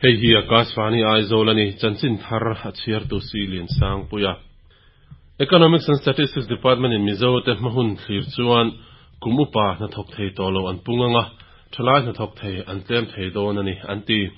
Hei hi Akashvani Aizawl a ni, chanchin thar a chhiartu si Liansangpuia. Economics and Statistics Department in Mizo te hma hun thlir chuan kum upa hnathawk thei tawh lo an pung anga, thalai hnathawk thei an tlem thei dawn a ni, an ti.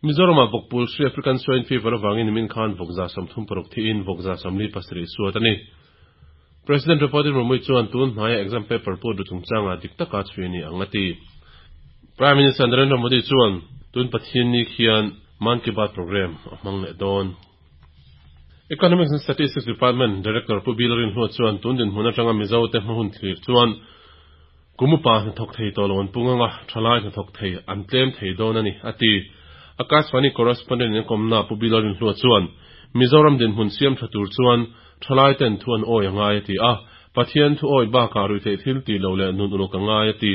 Mizoramah vawkpul hri African Swine Fever avangin nimin khan vawk 36 thiin vawk 47 suat a ni. President Draupadi Murmu chuan tun hnaia exam paper put ru chungchangah dik taka chhui a ni ang a ti. Prime Minister Narendra Modi chuan tun Pathianni khian Mann Ki Baat programme a hmang leh dawn. Economics and Statistics Department Director Pu Bill Rinhlua chuan tun dinhmun atanga Mizo te hma hun thlir chuan kum upa hnathawk thei tawh lo an pung anga thalai hnathawk thei an tlem thei dawn a ni, a ti. Akashvani correspondent in a kawmna Pu Bill Rinhlua chuan Mizoram dinhmun siam tha tur chuan thalai ten thu an awi a ngai a ti a, Pathian thu awi bakah ruihtheih thil tih loh leh nun uluk a ngai a ti.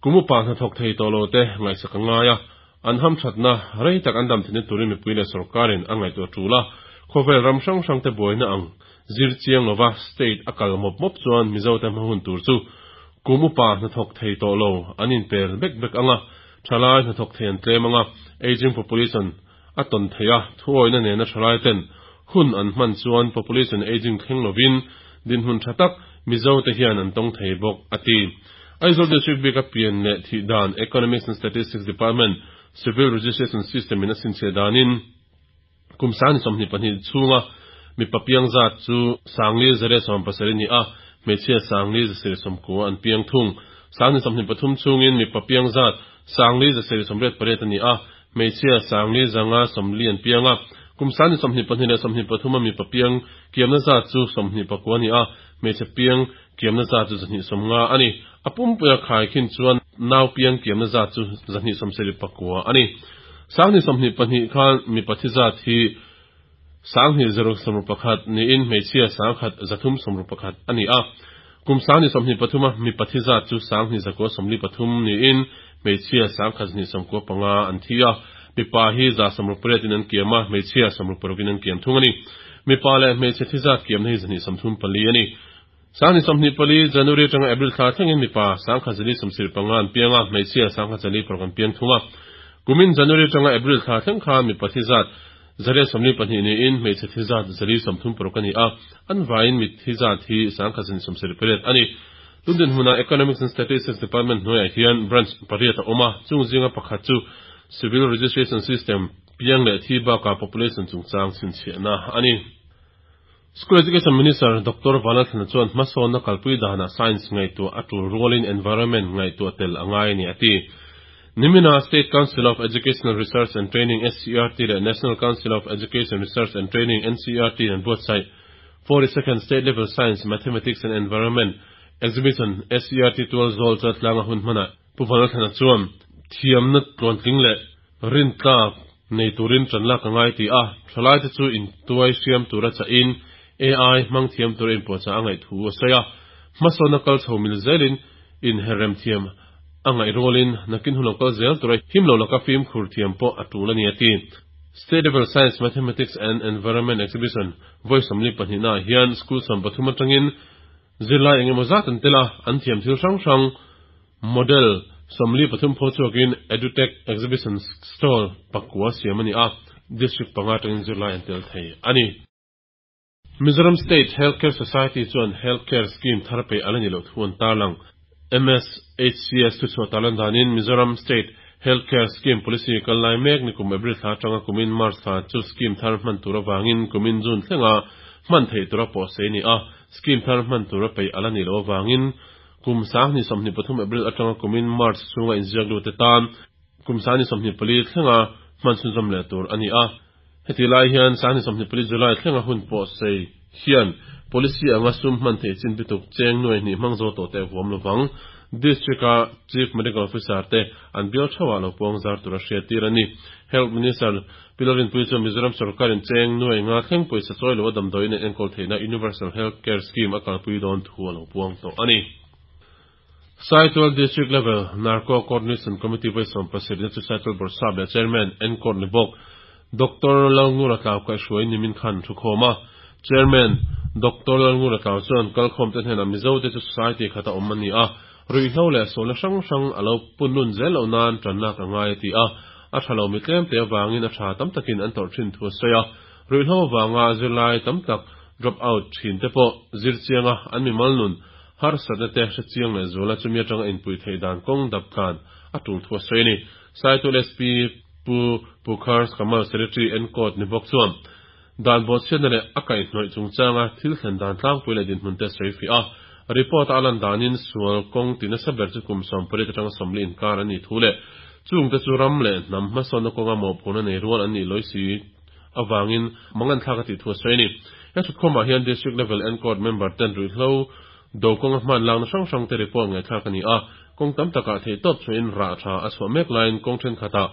Kum upa hnathawk thei tawh lo te ngaihsak a ngai a, An hamthatna rei tak an dam theihna turin mipui leh sorkarin a ngaihtuah tul a, khawvel ram hrang hrangte buaina ang zir chiang lova state a kal mawp mawp chuan Mizote hma hun tur chu kum upa hnathawk thei tawh lo an inpel bek bek ang a, thalai hnathawk thei an tlem ang a, aging population a tawn theih a, thuawihna nena thalaiten hun an hman chuan population aging thleng lovin dinhmun tha tak Mizote hian an tawng thei bawk, a ti. Aizawl District bika pian leh thih dan Economics and Statistics Department Civil Registration System in a chhinchhiah danin kum 2022 chhunga mipa piang zat chu 5170 a ni a, hmeichhia 5190 an piang thung. 2023 chhungin mipa piang zat 5188 a ni a, hmeichhia 4540 an piang a. Kum 2022 leh 23 a mipa piang kiamna zat chu 29 a ni a, hmeichhe piang kiamna zat chu 250 a ni. A pumpuia khaikhin chuan nau piang kiamna zat chu 279 a ni. 2022 khan mipa thi zat hi 2061 niin hmeichhia 1331 a ni a. Kum 2023 a mipa thi zat chu 2943 niin hmeichhia 1295 an thi a. Mipa hi 168 in an kiam a, hmeichhia 66 in an kiam thung a ni. Mipa leh hmeichhe thi zat kiamna hi 234 a ni. 2024 January atanga April thla thlengin mipa 1075 an piang a, hmeichhia 1046 an piang thung a. Kumin January atanga April thla thleng khan mipa thi zat 142 niin hmeichhe thi zat 136 a ni a, an vaiin mitthi zat hi 1078 a ni. Tun dinhmunah Economics and Statistics Department hnuaiah hian branch pariat a awm a, chung zinga pakhat chu Civil Registration System piang leh thi bakah population chungchang chhinchhiahna a ni. School Education Minister Doctor Vanlalthlana chuan hmasawnna kalpui danah science ngaihtuah a tul rualin environment ngaihtuah tel a ngai a ni a ti. Nimina State Council of Educational Research and Training, SCERT, leh National Council of Education Research and Training, NCERT, an buatsaih 42nd State Level Science, Mathematics and Environment Exhibition, SCERT tual zawl chu a tlang a hun hmanah Pu Vanlalthlana chuan thiamna tluantling leh rintlak nei turin ṭan lak a ngai ti a, ṭhalaite chu intuai hriam tura chahin AI hmang thiam tura inpuahchah a ngaih thu a sawi a. Hmasawnna kal chho mil zelin inherrem thiam a ngaih rualin nakin hun lo kal zel tura him lo laka fimkhur thiam pawh a ṭul a ni a ti. State Level Science, Mathematics and Environment Exhibition vawi 42 naah hian school 13 aṭangin zirlai eng emaw zat an tel a, an thiam thil hrang hrang Model 43 phaw chhuakin Edutech Exhibition Stall pakua siam a ni a, District panga atangin zirlai an tel thei a ni. Mizoram State Health Care Society chuan Health Care Scheme thar peih a la ni loh thu an tarlang. MSHCS thuchhuah tarlan danin Mizoram State Health Care Scheme Policy kal lai mek nikum April thla atanga kumin March thla chu scheme thar hman tur avangin kumin June thlenga hman theih tura pawhsei a ni a, scheme thar hman tura peih a la ni loh avangin Kum 2023 April atanga kumin March chhunga inziak lute tan kum 2024 thlenga hman chhunzawm leh tur a ni a. Hetih lai hian 2024 July thlenga hun pawh sei hian policy anga sum hman theih chin bituk cheng nuai hnih hmang zo tawh te a huam lovang. District-a Chief Medical Officer te an bial theuhah lo puang zar tura hriattir a ni. Health Minister Pi Lalrinpuii chuan Mizoram sorkarin cheng nuai nga thleng pawisa chawi loa damdawiin an enkawl theihna Universal Health Care Scheme a kalpui dawn thu a lo puang tawh a ni. Saitual District Level Narco Coordination Committee vawi 17 na chu Saitual Bawrhsap leh Chairman Encourt ni bawk Doctor Lalngura Tlau kaihhruai nimin khan thu khawm a. Chairman Doctor Lalngura Tlau chuan kalkhawmte hnenah Mizote chu society khata awm a ni a, ruihhlo leh sualna hrang hrang a lo punlun zel loh nan tanlak a ngai a ti a. A tha lo mi tlemte avangin a tha tam takin an tawrh thin thu a sawi a. Ruihhlo avanga zirlai tam tak drop out thin te pawh zir chianga an mimal nun harsatna te hre chiang leh zuala chumi atanga inpui theih dan kawng dap tlan a tul thu a sawi a ni. Saitul SP Pu Pukhar Kamal Secretary Encode ni bawk chuan dan bawhchhiatna leh a kaihhnawih chungchanga thil thlen dan tlangpui leh dinhmun te a sawi fiah a. Report-a a lan danin sual kawng ti nasa ber chu kum 80 atanga 40 inkar an nih thu leh chungte chu ram leh hnam hmasawnna kawnga mawhphurhna nei rual an nih lawi si avangin manganthlak a tih thu a sawi a ni. He thutkhawmah hian District Level Encourt member ten ruihhlo do kawnga hman lakna hrang hrang te report ngaihthlak a ni a, kawng tam takah theihtawp chhuahin rah tha a chhuah mek laiin kawng thenkhatah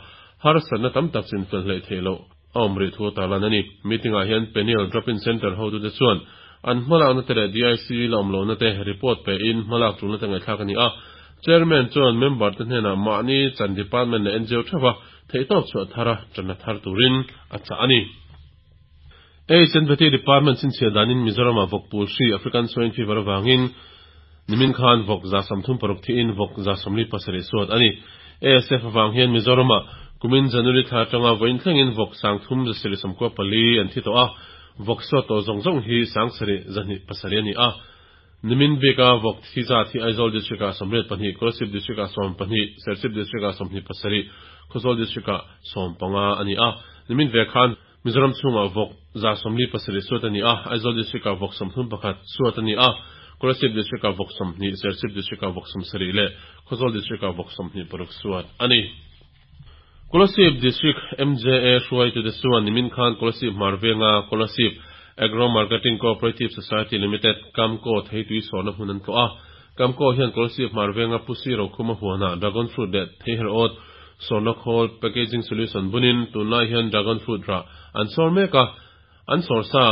harsatna tam tak chinfel hleih theih loh a awm rih thu a tarlan a ni. Meeting ah hian Peniel Drop-in Centre hotute chuan an hmalakna te leh DIC la awm lohna te report pe in hmalak tulna te ngaihthlak a ni a. Chairman chuan member te hnenah mahni chan department leh NGO theuha theihtawp chhuah thara tanna thar turin a chah a ni. HNVT Department chhinchhiah danin Mizoram-ah vawk pul hri African Swine Fever avangin nimin khan vawk 36 thiin vawk 47 suat a ni. ASF avang hian Mizoram-ah kumin January thla atanga vawiin thlengin vawk 3794 an thi tawh a, vawk suat tawh zawng zawng hi 7207 a ni a. Nimin bika vawk thi zat hi Aizawl District-ah 82, Kolasib District-ah 12, Serchhip District-ah 27, Khawzawl District-ah 15 a ni a. Nimin ve khan Mizoram chhungah vawk 47 suat a ni a, Aizawl District-ah vawk 31 suat a ni a, Kolasib District-ah vawk 20, Serchhip District-ah vawk 70 leh Khawzawl District-ah vawk 26 suat a ni. Kolasib District MJA hruaitute chuan nimin khan Kolasib hmar venga Kolasib Agro Marketing Cooperative Society Limited, Kamco, theitui sawrna hmun an tlawh a. Kamco hian Kolasib hmar venga Pusi Rokhuma huanah Dragon Fruit leh Theiherâwt Sawrna khawl, packaging solution, bunin tunlai hian dragon fruit rah an sawr mek a, an sawr sa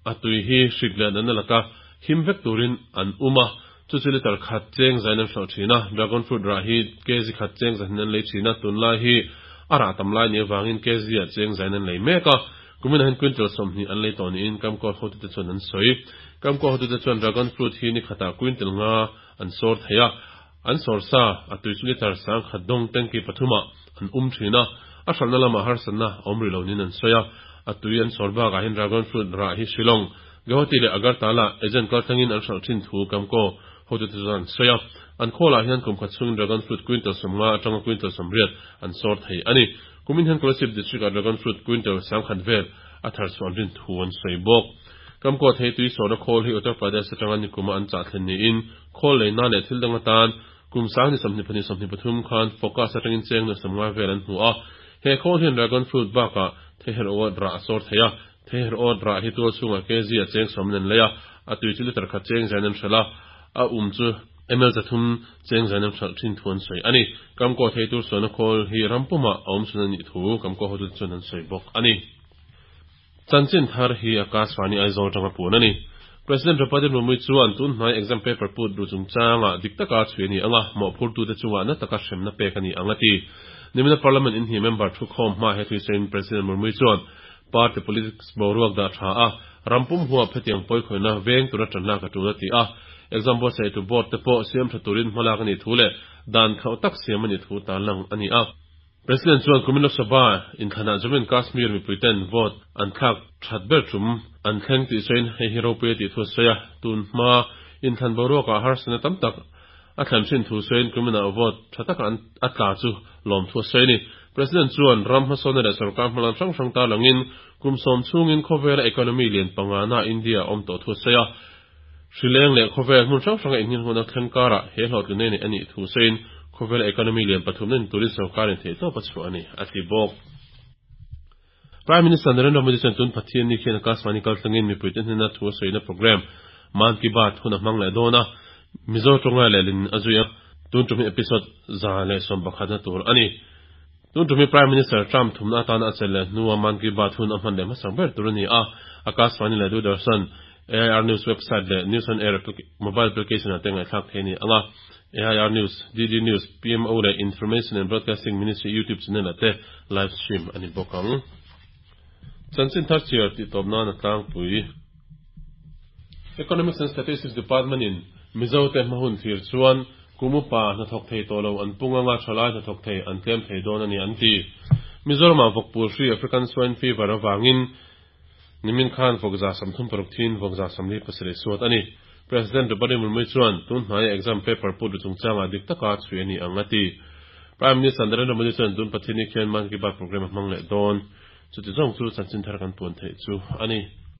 a tui hi hrik leh natna laka him vek turin an um a, chu chu litre khat cheng zain an hralh thin a, dragon fruit rah hi kg khat cheng zahnin an lei thin a, tunlai hi a rah tam lai nih avangin kg ah cheng zain an lei mek a, kuminah hian quintal 20 an lei tawh niin Kamkaw hotute chuan an sawi. Kamkaw hotute chuan dragon fruit hi ni khatah quintal nga an sawr thei a, An sawr sa, a tui chu litre 1000 dawng tanki pathumah an um thin a, a hralhna lamah harsatna a awm rih lo niin an sawi a. A tui an sawr bakah hian dragon fruit rah hi Shillong, Guwahati leh Agartala agent kaltlangin an hralh thin thu Kamkaw hotute chuan an sawi a. An khawlah hian kum khat chhungin dragon fruit quintal 50 atanga quintal 80 an sawr thei a ni. Kumin hian Kolasib district-ah dragon fruit quintal 1000 vel a thar chhuah an rin thu an sawi bawk. Kamkaw thei tui sawrna khawl hi Uttar Pradesh atanga nikuma an chah thlen niin Khawl leina leh thil dang atan kum 2022 23 khan Focus atangin cheng nuam 50 vel an hmu a. He khawl hian dragon fruit bakah theiherh awt rah a sawr thei a. Theiherh awt rah hi tual chhungah kg a cheng sawmin an lei a, a tui chu litre khat cheng zain an hralh a, a um chu ml 300 cheng zain an hralh thin thu an sawi a ni. Kamkaw thei tur sualna khawl hi ram pumah a awm chhun a nih thu Kamkaw hotute chuan an sawi bawk a ni. Chanchin thar hi Akashvani Aizawl atanga puan a ni. President Draupadi Murmu chuan tun hnai exam paper put ru chungchangah dik taka chhui a ni ang a, mawhphurtute chungah na taka hremna pek a ni ang a ti. Nimina Parliament inhnih member thukhawm hma he thuisawiin President Murmu chuan party politics boruak dah tha a, ram pum huap hetiang pawikhawihna veng tura tanlak a tul a ti a. Exam buatsaihtu board te pawh siam tha turin hmalak a nih thu leh dan khauh tak siam a nih thu tarlang a ni a. President chuan kumin Lok Sabha inthlanah Jammu and Kashmir mipuiten vote an thlak that ber tum an thleng tih sawiin hei hi ropui a tih thu a sawi a, tun hma inthlan boruakah harsatna tam tak a thlen thin thu sawiin kuminah vote tha taka an a tla chu lawm thu a sawi a ni. President chuan ram hmasawnna leh sorkar hmalam hrang hrang tarlangin kum sawm chhungin khawvela economy lian pangana India a awm tawh thu a sawi a, Hrileng leh khawvel hmun hrang hranga innghinghawna thleng karah he hlawhtlinna nei a nih thu sawiin khawvela economy lian pathumna ni turin sorkarin theihtawp a chhuah a ni, a ti bawk. Prime Minister Narendra Modi chuan tun Pathian ni khian Akashvani kaltlangin mipuite hnena thu a sawina programme Mann Ki Baat hun a hmang leh dawn a, Mizo tawnga lehlin a zui a, tun tum hi episode 111 na tur a ni. Tun tum hi Prime Minister Trump thumna atana a chelh leh hnua Mann Ki Baat hun a hman leh hmasak ber tur a ni a, Akashvani leh Doordarshan AIR News website leh News on Air mobile application ah te ngaihthlak thei a ni ang a, AIR News, DD News, PMO leh Information and Broadcasting Ministry YouTube channel ah te live stream a ni bawk ang. Chanchin thar chhiar tih tawp nan a tlangpui. Economics and Statistics Department in Mizo te hma hun thlir chuan kum upa hnathawk thei tawh lo an pung anga thalai hnathawk thei an tlem thei dawn a ni an ti. Mizoramah vawkpul hri African Swine Fever avangin nimin khan vawk 36 thiin vawk 47 suat a ni. President Droupadi Murmu chuan tun hnaia exam paper put ru chungchangah dik taka chhui a ni ang a ti. Prime Minister Narendra Modi chuan tun Pathianni khian Mann Ki Baat programme a hmang leh dawn. Chuti zawng chu chanchin thar kan puan theih chu a ni.